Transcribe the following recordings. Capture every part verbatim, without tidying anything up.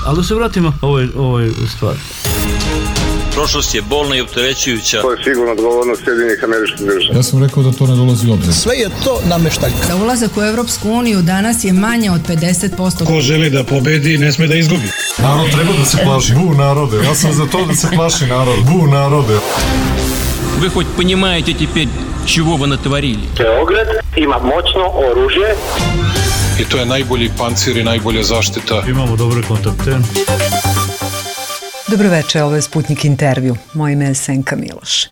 Ali da se vratimo ovoj, ovoj stvari. Prošlost je bolna i opterećujuća. To je sigurno odgovornost Sjedinjenih Američkih Država. Ja sam rekao da to ne dolazi u obzir. Sve je to nameštaljka. Da ulazak u Evropsku uniju danas je manje od pedeset posto. Ko želi da pobedi, ne sme da izgubi. Narod treba da se plaši. Bu narode. Ja sam za to da se plaši narod. Bu narode. Вы хоть понимаете теперь, чего вы натворили? Beograd ima moćno oružje. I to je najbolji pancir i najbolja zaštita. Imamo dobre kontakte. Dobro večer, ovo je Sputnik intervju. Moje ime je Senka Miloš.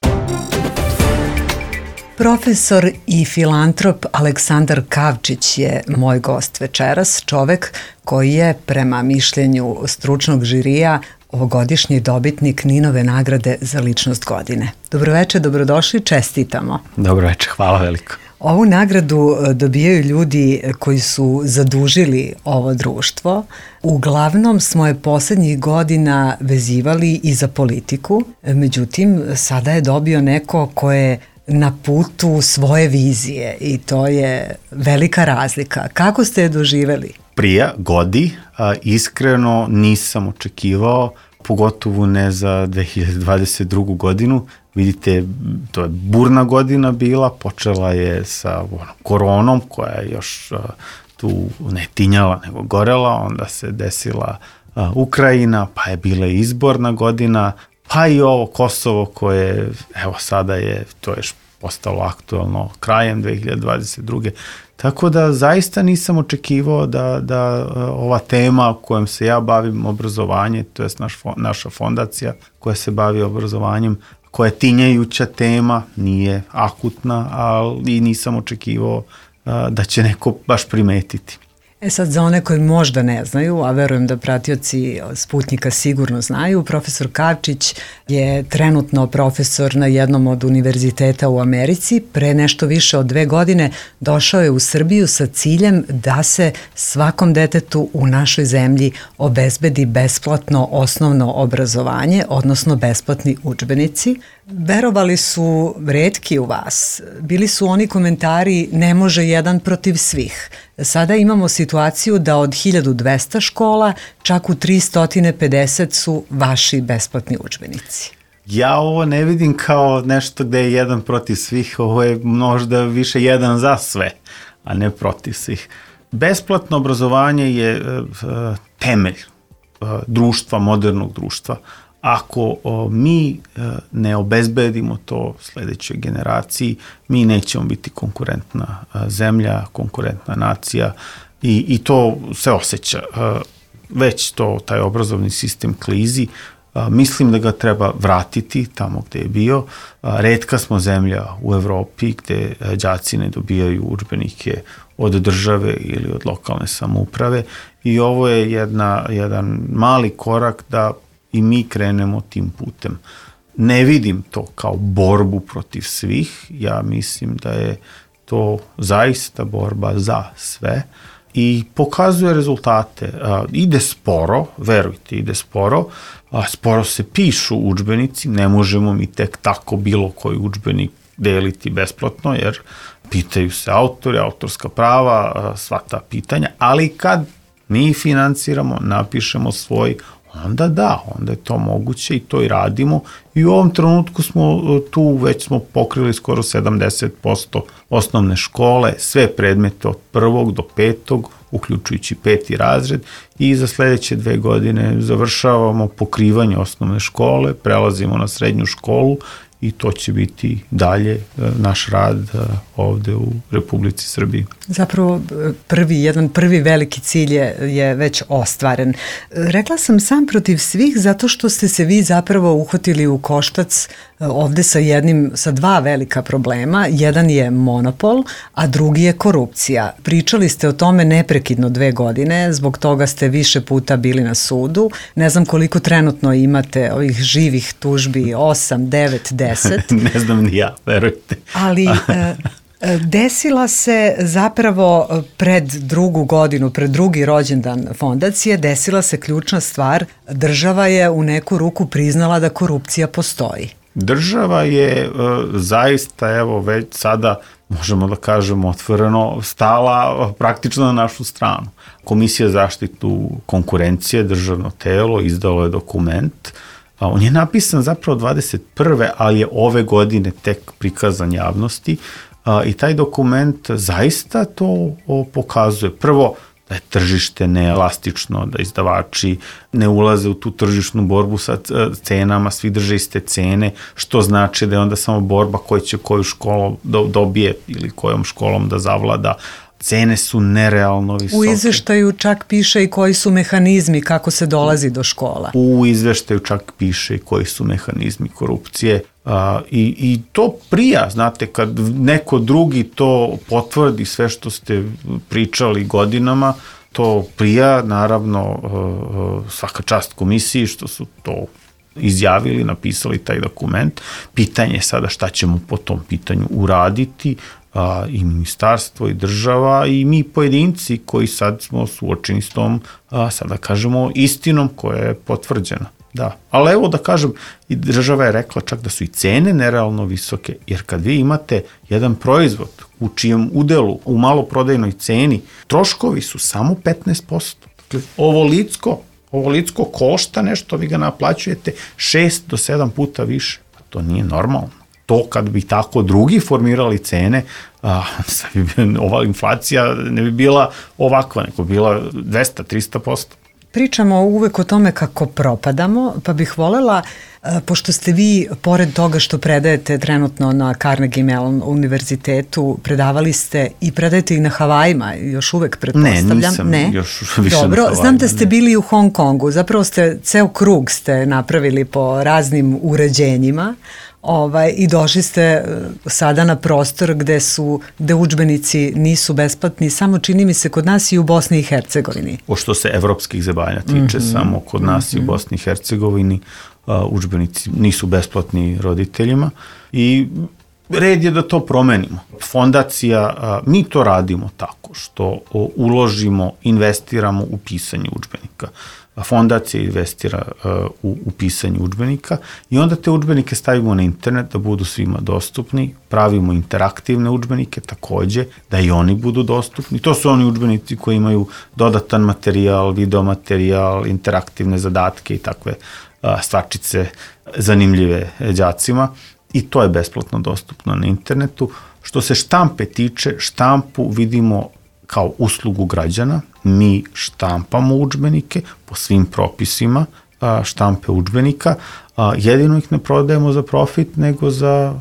Profesor i filantrop Aleksandar Kavčić je moj gost večeras, čovek koji je, prema mišljenju stručnog žirija, ovogodišnji dobitnik Ninove nagrade za ličnost godine. Dobro večer, dobrodošli, čestitamo. Dobro večer, hvala veliko. Ovu nagradu dobijaju ljudi koji su zadužili ovo društvo. Uglavnom smo je poslednjih godina vezivali i za politiku, međutim sada je dobio neko ko je na putu svoje vizije i to je velika razlika. Kako ste je doživeli? Prija, godi, a, iskreno nisam očekivao, pogotovo ne za dve hiljade dvadeset drugu godinu. Vidite, to je burna godina bila, počela je sa ono, koronom koja je još a, tu ne tinjala nego gorela, onda se desila a, Ukrajina, pa je bila izborna godina, pa i ovo Kosovo koje, evo sada je, to je postalo aktualno krajem dve hiljade dvadeset druge. Tako da zaista nisam očekivao da, da ova tema kojom se ja bavim, obrazovanje, to je naš, naša fondacija koja se bavi obrazovanjem, koja je tinjajuća tema, nije akutna, ali nisam očekivao da će neko baš primetiti. E sad, za one koji možda ne znaju, a verujem da pratioci Sputnika sigurno znaju, profesor Kavčić je trenutno profesor na jednom od univerziteta u Americi. Pre nešto više od dve godine došao je u Srbiju sa ciljem da se svakom detetu u našoj zemlji obezbedi besplatno osnovno obrazovanje, odnosno besplatni udžbenici. Verovali su retki u vas. Bili su oni komentari ne može jedan protiv svih. Sada imamo situaciju da od hiljadu dvesta škola čak u tristo pedeset su vaši besplatni udžbenici. Ja ovo ne vidim kao nešto gde je jedan protiv svih, ovo je možda više jedan za sve, a ne protiv svih. Besplatno obrazovanje je uh, temelj uh, društva, modernog društva. Ako o, mi e, ne obezbedimo to sledećoj generaciji, mi nećemo biti konkurentna a, zemlja, konkurentna nacija i, i to se osjeća. A, već to, taj obrazovni sistem klizi, a, mislim da ga treba vratiti tamo gde je bio. A, retka smo zemlja u Evropi gde a, đaci ne dobijaju udžbenike od države ili od lokalne samouprave i ovo je jedna, jedan mali korak da i mi krenemo tim putem. Ne vidim to kao borbu protiv svih, ja mislim da je to zaista borba za sve i pokazuje rezultate. A, ide sporo, verujte, ide sporo, a sporo se pišu udžbenici, ne možemo mi tek tako bilo koji udžbenik deliti besplatno, jer pitaju se autori, autorska prava, a, sva ta pitanja, ali kad mi finansiramo, napišemo svoj, onda da, onda je to moguće i to i radimo i u ovom trenutku smo tu, već smo pokrili skoro sedamdeset posto osnovne škole, sve predmete od prvog do petog, uključujući peti razred i za sledeće dve godine završavamo pokrivanje osnovne škole, prelazimo na srednju školu i to će biti dalje naš rad ovde u Republici Srbiji. Zapravo prvi, jedan prvi veliki cilj je, je već ostvaren. Rekla sam sam protiv svih zato što ste se vi zapravo uhvatili u koštac ovde sa jednim, sa dva velika problema. Jedan je monopol, a drugi je korupcija. Pričali ste o tome neprekidno dve godine, zbog toga ste više puta bili na sudu. Ne znam koliko trenutno imate ovih živih tužbi, osam, devet, deset. Ne znam ni ja, verujte. Ali desila se zapravo pred drugu godinu, pred drugi rođendan fondacije, desila se ključna stvar. Država je u neku ruku priznala da korupcija postoji. Država je zaista, evo već sada možemo da kažemo otvoreno, stala praktično na našu stranu. Komisija za zaštitu konkurencije, državno telo, izdalo je dokument. On je napisan zapravo dvadeset prve ali je ove godine tek prikazan javnosti i taj dokument zaista to pokazuje. Prvo, da je tržište neelastično, da izdavači ne ulaze u tu tržišnu borbu sa cenama, svi drže iste cene, što znači da je onda samo borba koja će koju školu dobije ili kojom školom da zavlada. Cene su nerealno visoke. U izveštaju čak piše i koji su mehanizmi kako se dolazi do škola. U izveštaju čak piše i koji su mehanizmi korupcije. A, i, i to prija, znate, kad neko drugi to potvrdi sve što ste pričali godinama, to prija, naravno, svaka čast komisiji što su to izjavili, napisali taj dokument. Pitanje je sada šta ćemo po tom pitanju uraditi, a, i ministarstvo i država i mi pojedinci koji sad smo suočeni s tom, a, sada kažemo, istinom koja je potvrđena. Da, ali evo da kažem, i država je rekla čak da su i cene nerealno visoke, jer kad vi imate jedan proizvod u čijem udelu u maloprodajnoj ceni, troškovi su samo petnaest posto. Dakle, ovo licko, ovo licko košta nešto, vi ga naplaćujete šest do sedam puta više. To nije normalno. To kad bi tako drugi formirali cene, a, ova inflacija ne bi bila ovakva, nego bila dvesta do trista posto. Pričamo uvek o tome kako propadamo, pa bih volela, pošto ste vi, pored toga što predajete trenutno na Carnegie Mellon univerzitetu, predavali ste i predajete i na Havajima, još uvek pretpostavljam. Ne, nisam ne? još više Dobro, na Havajima. Znam da ste bili u Hong Kongu, zapravo ste, ceo krug ste napravili po raznim uređenjima. Ovaj, i došli ste sada na prostor gde su, gde udžbenici nisu besplatni, samo čini mi se kod nas i u Bosni i Hercegovini. O što se evropskih zemalja tiče, mm-hmm. samo kod nas mm-hmm. i u Bosni i Hercegovini uh, udžbenici nisu besplatni roditeljima i red je da to promenimo. Fondacija, uh, mi to radimo tako što uh, uložimo, investiramo u pisanje udžbenika. Fondacija investira uh, u, u pisanje udžbenika i onda te udžbenike stavimo na internet da budu svima dostupni, pravimo interaktivne udžbenike takođe, da i oni budu dostupni. To su oni udžbenici koji imaju dodatan materijal, video materijal, interaktivne zadatke i takve uh, stvarčice zanimljive đacima i to je besplatno dostupno na internetu. Što se štampe tiče, štampu vidimo kao uslugu građana, mi štampamo udžbenike po svim propisima štampe udžbenika, jedino ih ne prodajemo za profit, nego za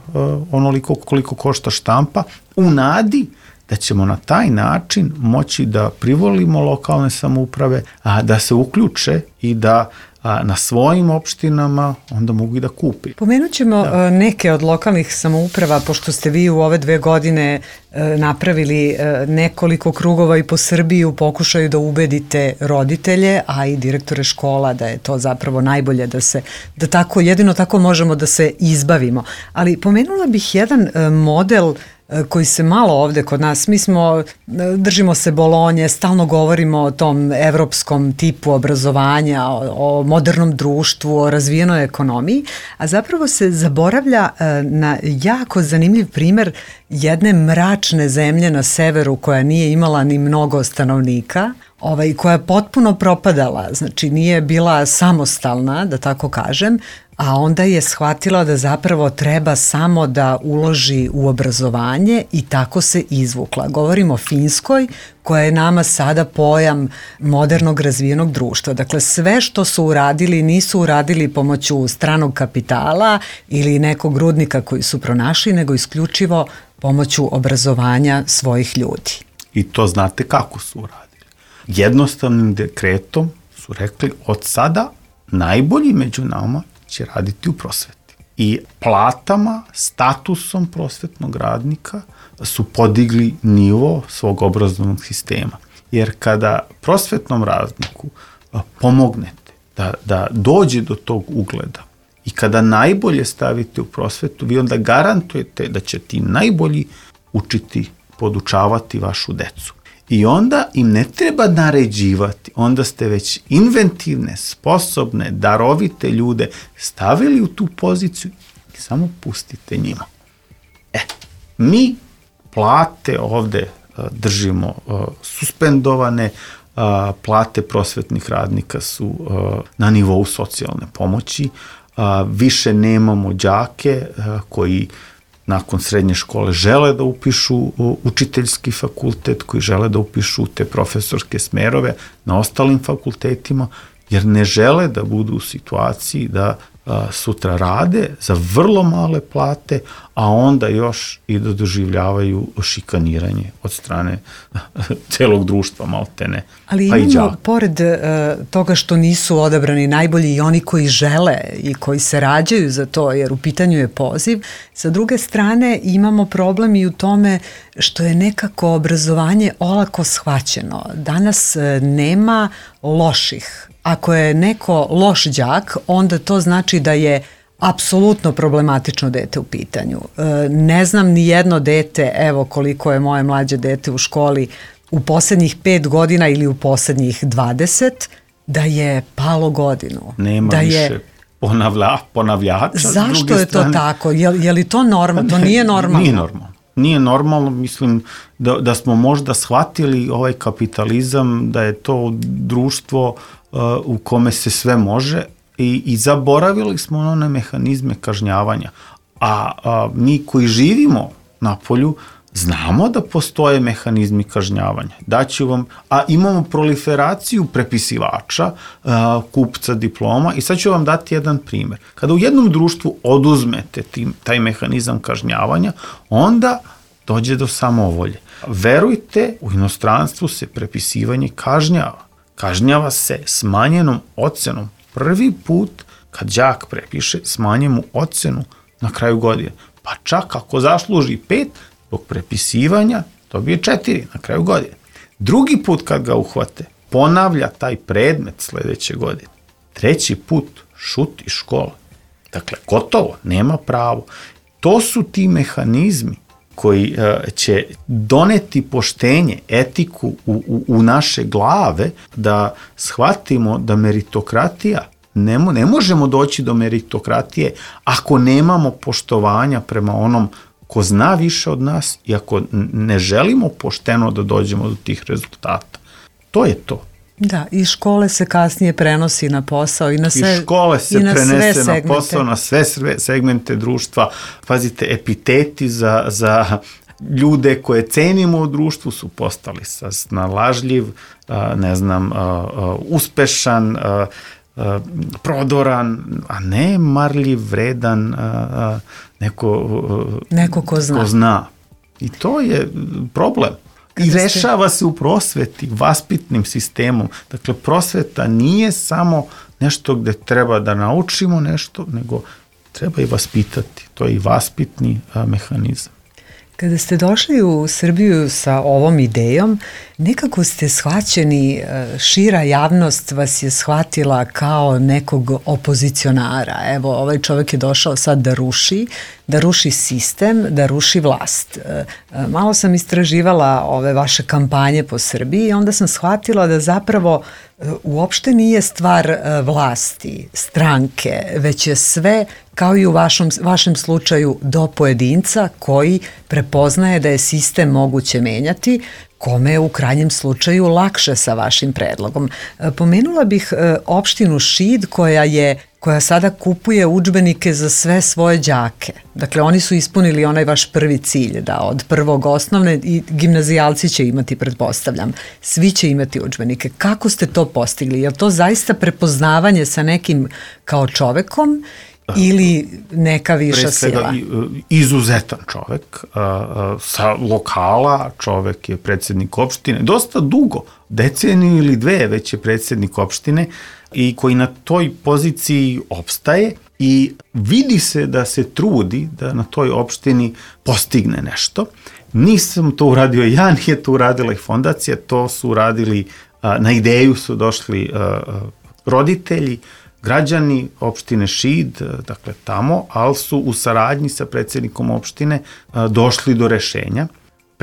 onoliko koliko košta štampa, u nadi da ćemo na taj način moći da privolimo lokalne samouprave, a da se uključe i da a na svojim opštinama onda mogu i da kupi. Pomenut ćemo da. neke od lokalnih samouprava, pošto ste vi u ove dve godine napravili nekoliko krugova i po Srbiji u pokušaju da ubedite roditelje, a i direktore škola da je to zapravo najbolje da se, da tako, jedino tako možemo da se izbavimo. Ali pomenula bih jedan model koji se malo ovde kod nas, mi smo, držimo se Bolonje, stalno govorimo o tom evropskom tipu obrazovanja, o, o modernom društvu, o razvijenoj ekonomiji, a zapravo se zaboravlja na jako zanimljiv primer jedne mračne zemlje na severu koja nije imala ni mnogo stanovnika, ovaj, koja je potpuno propadala, znači nije bila samostalna, da tako kažem, a onda je shvatila da zapravo treba samo da uloži u obrazovanje i tako se izvukla. Govorimo o Finskoj, koja je nama sada pojam modernog razvijenog društva. Dakle, sve što su uradili nisu uradili pomoću stranog kapitala ili nekog rudnika koji su pronašli, nego isključivo pomoću obrazovanja svojih ljudi. I to znate kako su uradili. Jednostavnim dekretom su rekli od sada najbolji među nama će raditi u prosveti. I platama, statusom prosvetnog radnika su podigli nivo svog obrazovnog sistema. Jer kada prosvetnom radniku pomognete da, da dođe do tog ugleda i kada najbolje stavite u prosvetu, vi onda garantujete da će ti najbolji učiti, podučavati vašu decu. I onda im ne treba naređivati, onda ste već inventivne, sposobne, darovite ljude stavili u tu poziciju, samo pustite njima. E, mi plate ovde držimo suspendovane, plate prosvetnih radnika su na nivou socijalne pomoći, više nemamo đake koji nakon srednje škole žele da upišu učiteljski fakultet, koji žele da upišu te profesorske smerove na ostalim fakultetima, jer ne žele da budu u situaciji da a, sutra rade za vrlo male plate, a onda još i da doživljavaju šikaniranje od strane celog društva, maltene. Ali pa imamo, pored uh, toga što nisu odabrani najbolji i oni koji žele i koji se rađaju za to, jer u pitanju je poziv, sa druge strane imamo problem i u tome što je nekako obrazovanje olako shvaćeno. Danas uh, nema loših. Ako je neko loš đak, onda to znači da je apsolutno problematično dete u pitanju. E, ne znam ni jedno dete, evo koliko je moje mlađe dete u školi u poslednjih pet godina ili u poslednjih dvadeset, da je palo godinu. Nema da više je... ponavlja, ponavljača. Zašto je to tako? Je, je li to normalno? To nije normalno. Nije normalno. Nije normalno, mislim da, da smo možda shvatili ovaj kapitalizam, da je to društvo uh, u kome se sve može i, i zaboravili smo one mehanizme kažnjavanja. A, a mi koji živimo na polju znamo da postoje mehanizmi kažnjavanja. Daću vam, a imamo proliferaciju prepisivača, a, kupca diploma i sad ću vam dati jedan primer. Kada u jednom društvu oduzmete tim, taj mehanizam kažnjavanja, onda dođe do samovolje. Verujte, u inostranstvu se prepisivanje kažnjava. Kažnjava se smanjenom ocenom. Prvi put kad đak prepiše, smanje mu ocenu na kraju godine. Pa čak ako zasluži pet, zbog prepisivanja dobije četiri na kraju godine. Drugi put kad ga uhvate, ponavlja taj predmet sledeće godine. Treći put šuti škola. Dakle, gotovo, nema pravo. To su ti mehanizmi koji uh, će doneti poštenje, etiku u, u, u naše glave, da shvatimo da meritokratija, ne, ne možemo doći do meritokratije ako nemamo poštovanja prema onom ko zna više od nas i ako ne želimo pošteno da dođemo do tih rezultata. To je to. Da, i škole se kasnije prenosi na posao i na sve, I škole se i na prenese sve na posao, na sve segmente društva. Pazite, epiteti za, za ljude koje cenimo u društvu su postali snalažljiv, ne znam, uspešan, prodoran, a ne marljiv, vredan, neko, neko ko zna. ko zna. I to je problem. I rešava se u prosveti, vaspitnim sistemom. Dakle, prosveta nije samo nešto gde treba da naučimo nešto, nego treba i vaspitati. To je i vaspitni a, mehanizam. Kada ste došli u Srbiju sa ovom idejom, nekako ste shvaćeni, šira javnost vas je shvatila kao nekog opozicionara. Evo, ovaj čovjek je došao sad da ruši, da ruši sistem, da ruši vlast. Malo sam istraživala ove vaše kampanje po Srbiji i onda sam shvatila da zapravo uopšte nije stvar vlasti, stranke, već je sve, kao i u vašem, vašem slučaju, do pojedinca koji prepoznaje da je sistem moguće menjati, kome je u krajnjem slučaju lakše sa vašim predlogom. Pomenula bih opštinu Šid koja je koja sada kupuje udžbenike za sve svoje đake. Dakle, oni su ispunili onaj vaš prvi cilj, da od prvog osnovne i gimnazijalci će imati, pretpostavljam. Svi će imati udžbenike. Kako ste to postigli? Je li to zaista prepoznavanje sa nekim kao čovekom ili neka viša sila? Pre svega izuzetan čovek, sa lokala, čovek je predsjednik opštine, dosta dugo, deceniju ili dve već je predsjednik opštine i koji na toj poziciji opstaje i vidi se da se trudi da na toj opštini postigne nešto. Nisam to uradio ja, nije to uradila i fondacija, to su uradili, na ideju su došli roditelji, građani opštine Šid, dakle tamo, ali su u saradnji sa predsjednikom opštine došli do rešenja.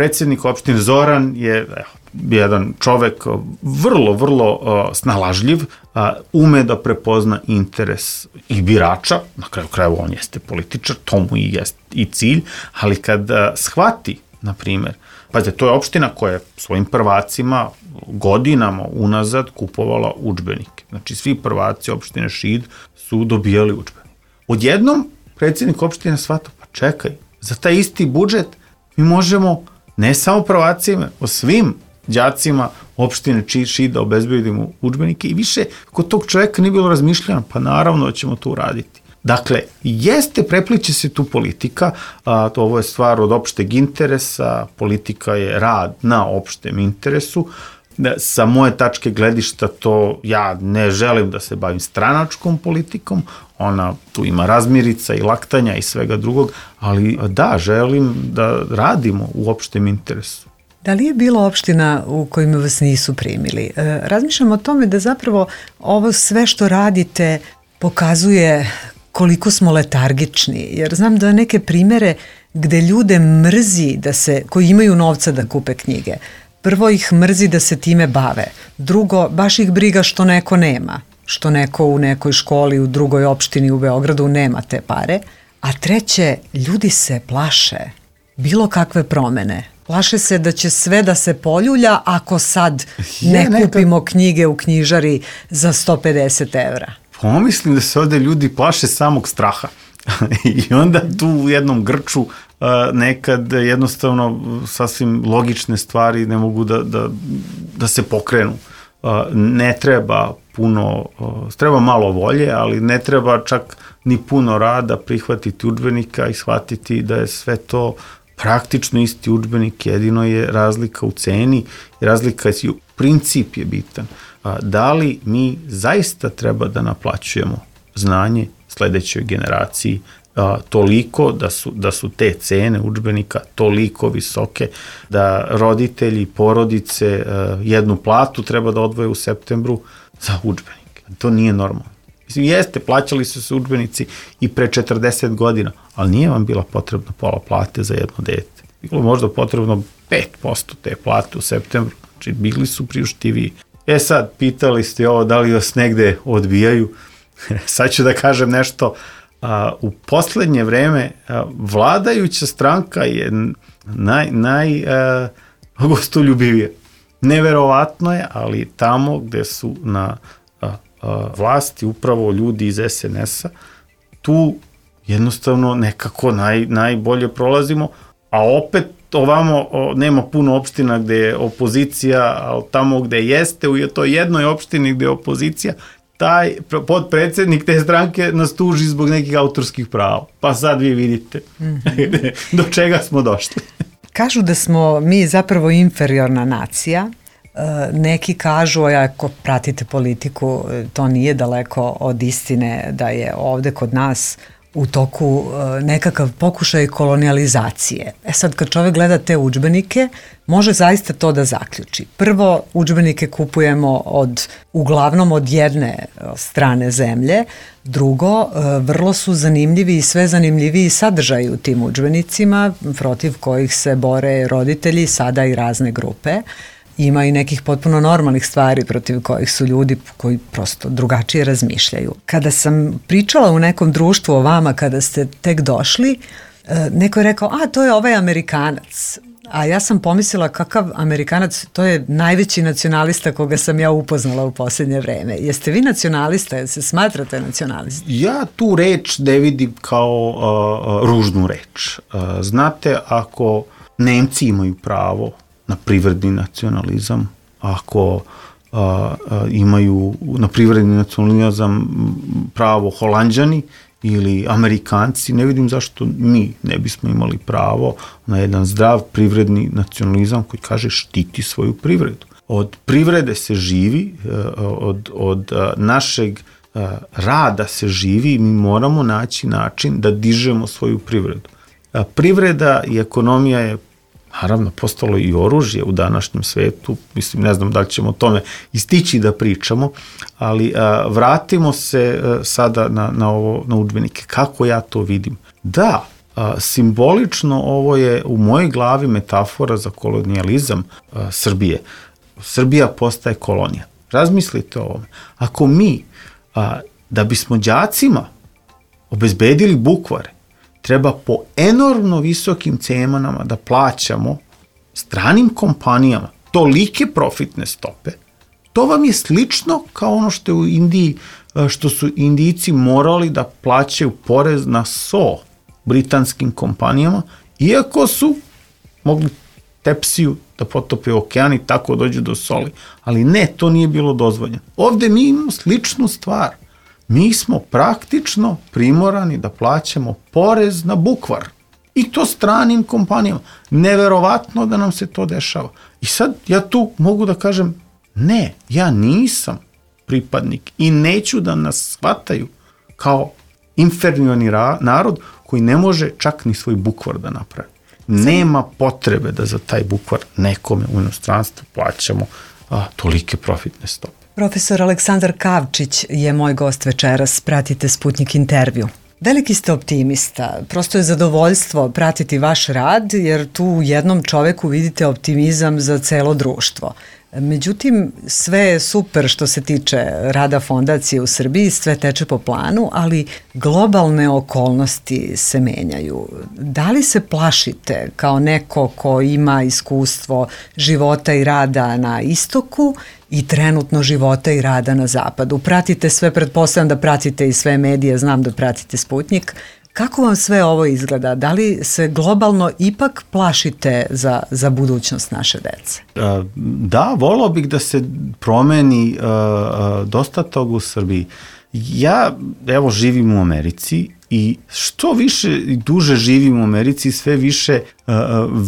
predsjednik opštine Zoran je evo, jedan čovek vrlo, vrlo uh, snalažljiv, uh, ume da prepozna interes i birača, na kraju krajeva on jeste političar, to mu i jest i cilj, ali kad uh, shvati, na primjer, pazite, to je opština koja je svojim prvacima godinama unazad kupovala udžbenike. Znači, svi prvaci opštine Šid su dobijali udžbenike. Odjednom, predsjednik opštine shvata, pa čekaj, za taj isti budžet mi možemo ne samo prvacima, o svim đacima opštine Šid da obezbedimo udžbenike i više kod tog čoveka nije bilo razmišljeno, pa naravno da ćemo to uraditi. Dakle, jeste, prepliče se tu politika, a, to ovo je stvar od opšteg interesa, politika je rad na opštem interesu. Da, sa moje tačke gledišta to ja ne želim da se bavim stranačkom politikom, ona tu ima razmirica i laktanja i svega drugog, ali da, želim da radimo u opštem interesu. Da li je bilo opština u kojima vas nisu primili? E, razmišljam o tome da zapravo ovo sve što radite pokazuje koliko smo letargični, jer znam da neke primere gde ljude mrzi da se, koji imaju novca da kupe knjige, prvo ih mrzi da se time bave, drugo, baš ih briga što neko nema, što neko u nekoj školi u drugoj opštini u Beogradu nema te pare, a treće, ljudi se plaše bilo kakve promene. Plaše se da će sve da se poljulja ako sad ne ja, kupimo knjige u knjižari za sto pedeset evra. Pomislim da se ovde ljudi plaše samog straha i onda tu u jednom grču uh, nekad jednostavno sasvim logične stvari ne mogu da, da, da se pokrenu. Uh, ne treba puno, uh, treba malo volje, ali ne treba čak ni puno rada prihvatiti udžbenika i shvatiti da je sve to praktično isti udžbenik, jedino je razlika u ceni i razlika je, princip je bitan. Da li mi zaista treba da naplaćujemo znanje sledećoj generaciji toliko da su, da su te cene udžbenika toliko visoke da roditelji, porodice jednu platu treba da odvoje u septembru za udžbenike. To nije normalno. Mislim, jeste, plaćali su se udžbenici i pre četrdeset godina, ali nije vam bila potrebna pola plate za jedno dete. Bilo možda potrebno pet posto te plate u septembru, znači bili su priuštiviji. E sad, pitali ste ovo da li vas negde odbijaju. Sad ću da kažem nešto. A, u poslednje vreme a, vladajuća stranka je naj, naj a, gostoljubivija. Neverovatno je, ali tamo gde su na a, a, vlasti upravo ljudi iz es en es-a, tu jednostavno nekako naj, najbolje prolazimo, a opet ovamo o, nema puno opština gde je opozicija, ali tamo gde jeste, u toj jednoj opštini gde je opozicija, taj podpredsednik te stranke nas tuži zbog nekih autorskih prava. Pa sad vi vidite mm-hmm. do čega smo došli. Kažu da smo mi zapravo inferiorna nacija. Neki kažu, a ako pratite politiku, to nije daleko od istine da je ovde kod nas u toku nekakav pokušaj kolonijalizacije. E sad, kad čovek gleda te udžbenike, može zaista to da zaključi. Prvo, udžbenike kupujemo od, uglavnom od jedne strane zemlje. Drugo, vrlo su zanimljivi i sve zanimljiviji sadržaji u tim udžbenicima, protiv kojih se bore roditelji, sada i razne grupe. Ima i nekih potpuno normalnih stvari protiv kojih su ljudi koji prosto drugačije razmišljaju. Kada sam pričala u nekom društvu o vama kada ste tek došli, neko je rekao, a to je ovaj Amerikanac. A ja sam pomislila kakav Amerikanac, to je najveći nacionalista koga sam ja upoznala u posljednje vreme. Jeste vi nacionalista, jel se smatrate nacionalista? Ja tu reč ne vidim kao uh, ružnu reč. Uh, znate, ako Nemci imaju pravo na privredni nacionalizam, ako a, a, imaju na privredni nacionalizam pravo Holanđani ili Amerikanci, ne vidim zašto mi ne bismo imali pravo na jedan zdrav privredni nacionalizam koji kaže štiti svoju privredu. Od privrede se živi, od, od našeg rada se živi i mi moramo naći način da dižemo svoju privredu. Privreda i ekonomija je naravno postalo i oružje u današnjem svetu, mislim, ne znam da li ćemo o tome istići da pričamo, ali a, vratimo se a, sada na, na, ovo, na udžbenike. Kako ja to vidim? Da, a, simbolično ovo je u mojoj glavi metafora za kolonijalizam a, Srbije. Srbija postaje kolonija. Razmislite o ovome. Ako mi, a, da bismo đacima obezbedili bukvare, treba po enormno visokim cenama da plaćamo stranim kompanijama tolike profitne stope, to vam je slično kao ono što je u Indiji, što su Indijci morali da plaćaju porez na so britanskim kompanijama, iako su mogli tepsiju da potope u okean i tako dođu do soli. Ali ne, to nije bilo dozvoljeno. Ovde mi imamo sličnu stvar. Mi smo praktično primorani da plaćamo porez na bukvar. I to stranim kompanijama. Neverovatno da nam se to dešava. I sad ja tu mogu da kažem, ne, ja nisam pripadnik i neću da nas shvataju kao inferiorni narod koji ne može čak ni svoj bukvar da napravi. Nema potrebe da za taj bukvar nekome u inostranstvu plaćamo a, tolike profitne stope. Profesor Aleksandar Kavčić je moj gost večeras, pratite Sputnik intervju. Veliki ste optimista, prosto je zadovoljstvo pratiti vaš rad jer tu u jednom čoveku vidite optimizam za celo društvo. Međutim, sve je super što se tiče rada fondacije u Srbiji, sve teče po planu, ali globalne okolnosti se menjaju. Da li se plašite kao neko ko ima iskustvo života i rada na istoku i trenutno života i rada na zapadu? Pratite sve, pretpostavljam da pratite i sve medije, znam da pratite Sputnik. Kako vam sve ovo izgleda? Da li se globalno ipak plašite za, za budućnost naše dece? Da, volao bih da se promeni uh, dosta toga u Srbiji. Ja, evo, živim u Americi i što više i duže živim u Americi, sve više uh,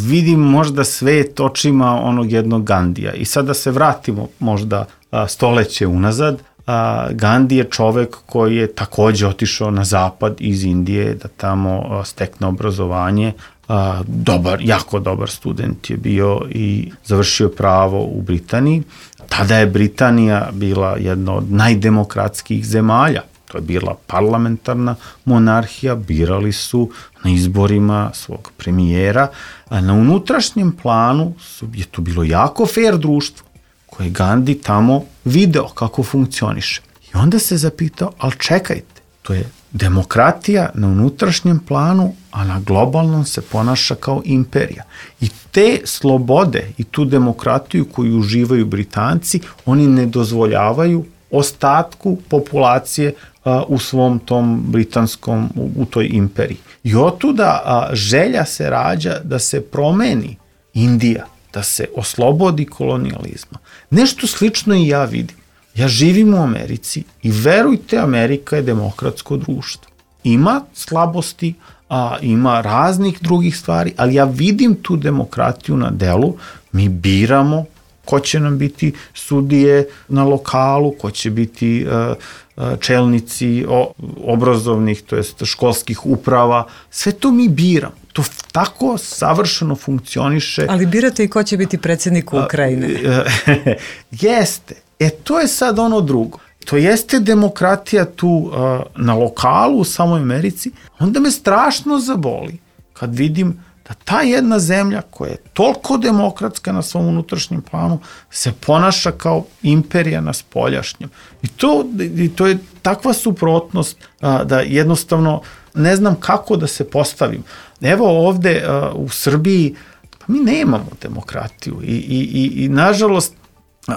vidim možda svet očima onog jednog Gandija. I sad da se vratimo možda uh, stoleće unazad, A, Gandhi je čovek koji je takođe otišao na zapad iz Indije da tamo a, stekne obrazovanje. A, dobar, jako dobar student je bio i završio pravo u Britaniji. Tada je Britanija bila jedna od najdemokratskijih zemalja. To je bila parlamentarna monarhija, birali su na izborima svog premijera. A na unutrašnjem planu su, je to bilo jako fair društvo koje Gandhi tamo video kako funkcioniše. I onda se zapitao, ali čekajte, to je demokratija na unutrašnjem planu, a na globalnom se ponaša kao imperija. I te slobode i tu demokratiju koju uživaju Britanci, oni ne dozvoljavaju ostatku populacije a, u svom tom britanskom, u, u toj imperiji. I otuda a, želja se rađa da se promeni Indija, da se oslobodi kolonijalizma. Nešto slično i ja vidim. Ja živim u Americi i verujte, Amerika je demokratsko društvo. Ima slabosti, a ima raznih drugih stvari, ali ja vidim tu demokratiju na delu. Mi biramo ko će nam biti sudije na lokalu, ko će biti uh, uh, čelnici o, obrazovnih, to jest školskih uprava. Sve to mi biramo. To tako savršeno funkcioniše. Ali birate i ko će biti predsjednik Ukrajine. Jeste. E, to je sad ono drugo. To jeste demokratija tu uh, na lokalu u samoj Americi. Onda me strašno zaboli kad vidim da ta jedna zemlja koja je toliko demokratska na svom unutrašnjem planu se ponaša kao imperija na spoljašnjem. I to, i to je takva suprotnost uh, da jednostavno ne znam kako da se postavim. Evo ovde uh, u Srbiji pa mi nemamo demokratiju i, i, i, i nažalost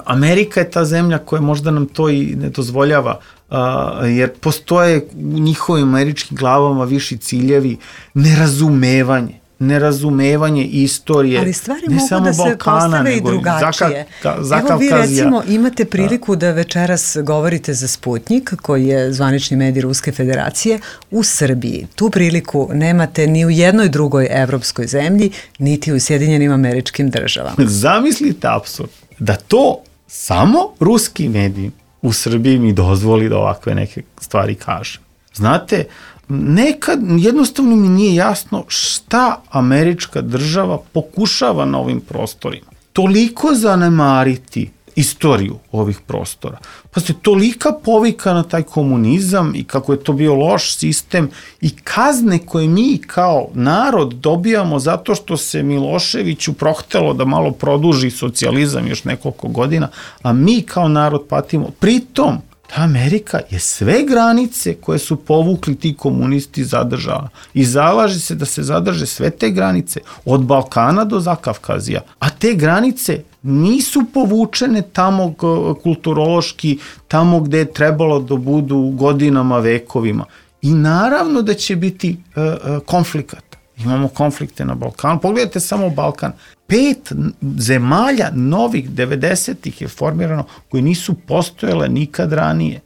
Amerika je ta zemlja koja možda nam to i ne dozvoljava uh, jer postoje u njihovim američkim glavama viši ciljevi, nerazumevanje nerazumevanje istorije, ali stvari ne mogu samo da se Balkana, postave i nego drugačije. Zaka, Evo vi recimo imate priliku da večeras govorite za Sputnik, koji je zvanični medij Ruske federacije, u Srbiji. Tu priliku nemate ni u jednoj drugoj evropskoj zemlji, niti u Sjedinjenim Američkim Državama. Zamislite apsurd da to samo ruski mediji u Srbiji mi dozvoli da ovakve neke stvari kažem. Znate, nekad jednostavno mi nije jasno šta američka država pokušava na ovim prostorima. Toliko zanemariti istoriju ovih prostora. Pa se tolika povika na taj komunizam i kako je to bio loš sistem i kazne koje mi kao narod dobijamo zato što se Miloševiću prohtelo da malo produži socijalizam još nekoliko godina, a mi kao narod patimo. Pritom, ta Amerika je sve granice koje su povukli ti komunisti zadržala i zalaže se da se zadrže sve te granice od Balkana do Zakavkazija, a te granice nisu povučene tamo kulturološki, tamo gde je trebalo da budu godinama, vekovima. I naravno da će biti uh, uh, konflikata. Imamo konflikte na Balkanu. Pogledajte samo Balkan. Pet zemalja novih devedesetih je formirano koji nisu postojale nikad ranije.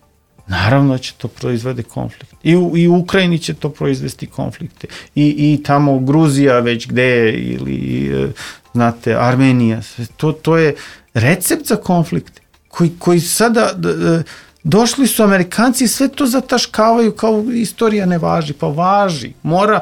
Naravno da će to proizvede konflikt. I u, i u Ukrajini će to proizvesti konflikte. I, i tamo Gruzija već gde je, ili znate, Armenija. To, to je recept za konflikte koji, koji sada došli su Amerikanci i sve to zataškavaju kao istorija ne važi. Pa važi. Mora,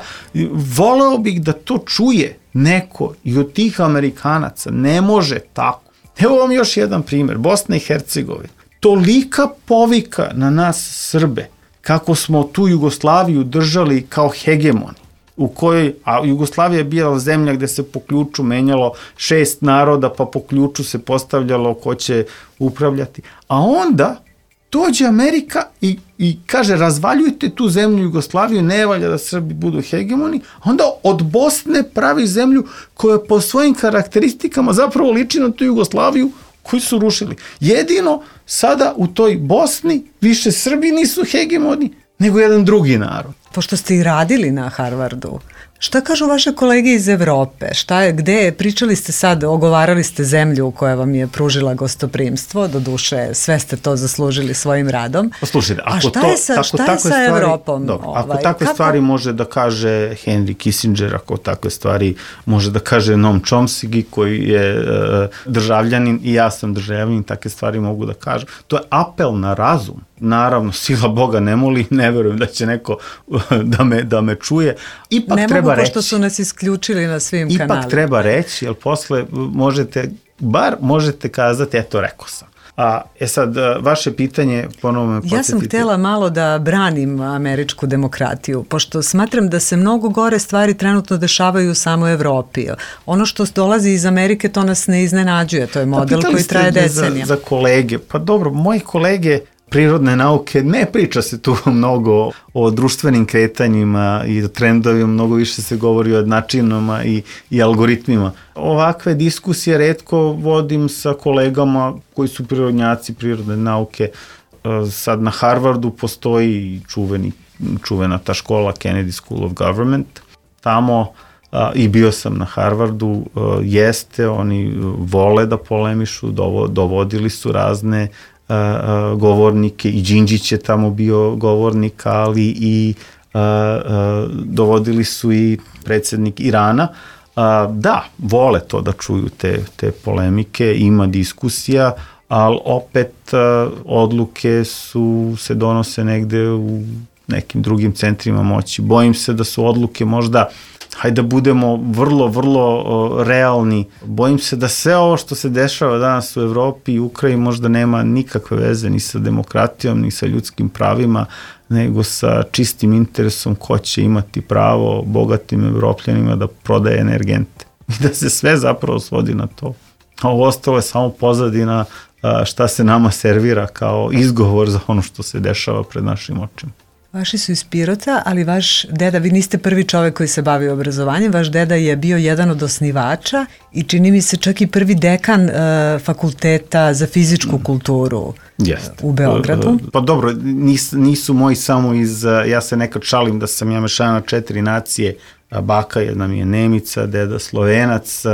voleo bih da to čuje neko i od tih Amerikanaca. Ne može tako. Evo vam još jedan primjer. Bosna i Hercegovina. Tolika povika na nas Srbe, kako smo tu Jugoslaviju držali kao hegemoni, u kojoj, a Jugoslavija je bila zemlja gde se po ključu menjalo šest naroda, pa po ključu se postavljalo ko će upravljati. A onda dođe Amerika i, i kaže razvaljujte tu zemlju Jugoslaviju, ne valja da Srbi budu hegemoni, a onda od Bosne pravi zemlju koja po svojim karakteristikama zapravo liči na tu Jugoslaviju koji su rušili. Jedino sada u toj Bosni više Srbi nisu hegemoni nego jedan drugi narod. Pošto ste i radili na Harvardu, šta kažu vaše kolege iz Evrope? Šta je, gde je, pričali ste sad, ogovarali ste zemlju koja vam je pružila gostoprimstvo, do duše sve ste to zaslužili svojim radom. Poslušajte, ako a šta to, je sa, tako, šta je takve sa stvari, Evropom? Dobro, ovaj, ako takve kako? stvari može da kaže Henry Kissinger, ako takve stvari može da kaže Noam Chomsky koji je uh, državljanin i ja sam državljanin, takve stvari mogu da kažem. To je apel na razum. Naravno, sila Boga ne moli, ne verujem da će neko da me, da me čuje. Ipak ne treba mogu, reći. pošto su nas isključili na svim Ipak kanalima. Ipak treba reći, jer posle možete, bar možete kazati, eto, rekao sam. A, e sad, vaše pitanje, ponovno me podsjetite. Ja sam htjela malo da branim američku demokratiju, pošto smatram da se mnogo gore stvari trenutno dešavaju samo u Evropi. Ono što dolazi iz Amerike, to nas ne iznenađuje, to je model koji traje decenija. Za, za kolege, pa dobro, moji kolege prirodne nauke, ne priča se tu mnogo o društvenim kretanjima i o trendovima, mnogo više se govori o načinama i, i algoritmima. Ovakve diskusije retko vodim sa kolegama koji su prirodnjaci prirodne nauke. Sad na Harvardu postoji čuveni, čuvena ta škola Kennedy School of Government. Tamo a, i bio sam na Harvardu, a, jeste, oni vole da polemišu, dovo, dovodili su razne Uh, uh, govornike i Đinđić je tamo bio govornik, ali i uh, uh, dovodili su i predsjednik Irana. Uh, da, vole to da čuju te, te polemike, ima diskusija, ali opet uh, odluke su, se donose negde u nekim drugim centrima moći. Bojim se da su odluke možda, hajde da budemo vrlo, vrlo uh, realni. Bojim se da sve ovo što se dešava danas u Evropi i Ukrajini možda nema nikakve veze ni sa demokratijom, ni sa ljudskim pravima, nego sa čistim interesom ko će imati pravo bogatim Evropljanima da prodaje energente. I da se sve zapravo svodi na to. A ovo ostalo je samo pozadina uh, šta se nama servira kao izgovor za ono što se dešava pred našim očima. Vaši su iz Pirota, ali vaš deda, vi niste prvi čovek koji se bavi obrazovanjem, vaš deda je bio jedan od osnivača i čini mi se čak i prvi dekan uh, fakulteta za fizičku kulturu Jest. u Beogradu. Pa dobro, nis, nisu moji samo iz, ja se nekad šalim da sam ja mešana četiri nacije, baka jedna mi je Nemica, deda Slovenac,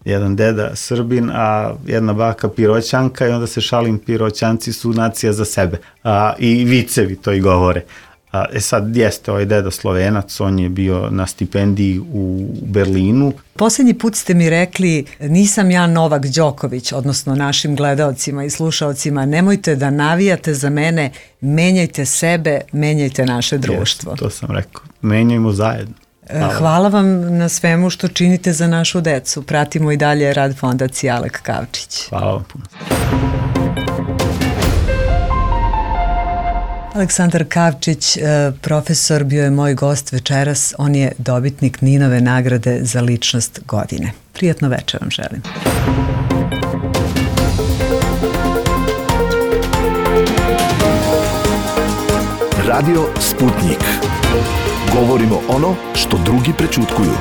jedan deda Srbin, a jedna baka Piroćanka i onda se šalim, Piroćanci su nacija za sebe. A, i vicevi to i govore. A, e sad, jeste ovaj deda Slovenac, on je bio na stipendiji u Berlinu. Poslednji put ste mi rekli, nisam ja Novak Đoković, odnosno našim gledaocima i slušaocima, nemojte da navijate za mene, menjajte sebe, menjajte naše društvo. Jeste, to sam rekao, menjajmo zajedno. Hvala. Hvala vam na svemu što činite za našu decu. Pratimo i dalje rad Fondacije Alek Kavčić. Hvala vam puno. Aleksandar Kavčić, profesor, bio je moj gost večeras. On je dobitnik Ninove nagrade za ličnost godine. Prijatno večer vam želim. Radio Sputnik. Govorimo ono što drugi prećutkuju.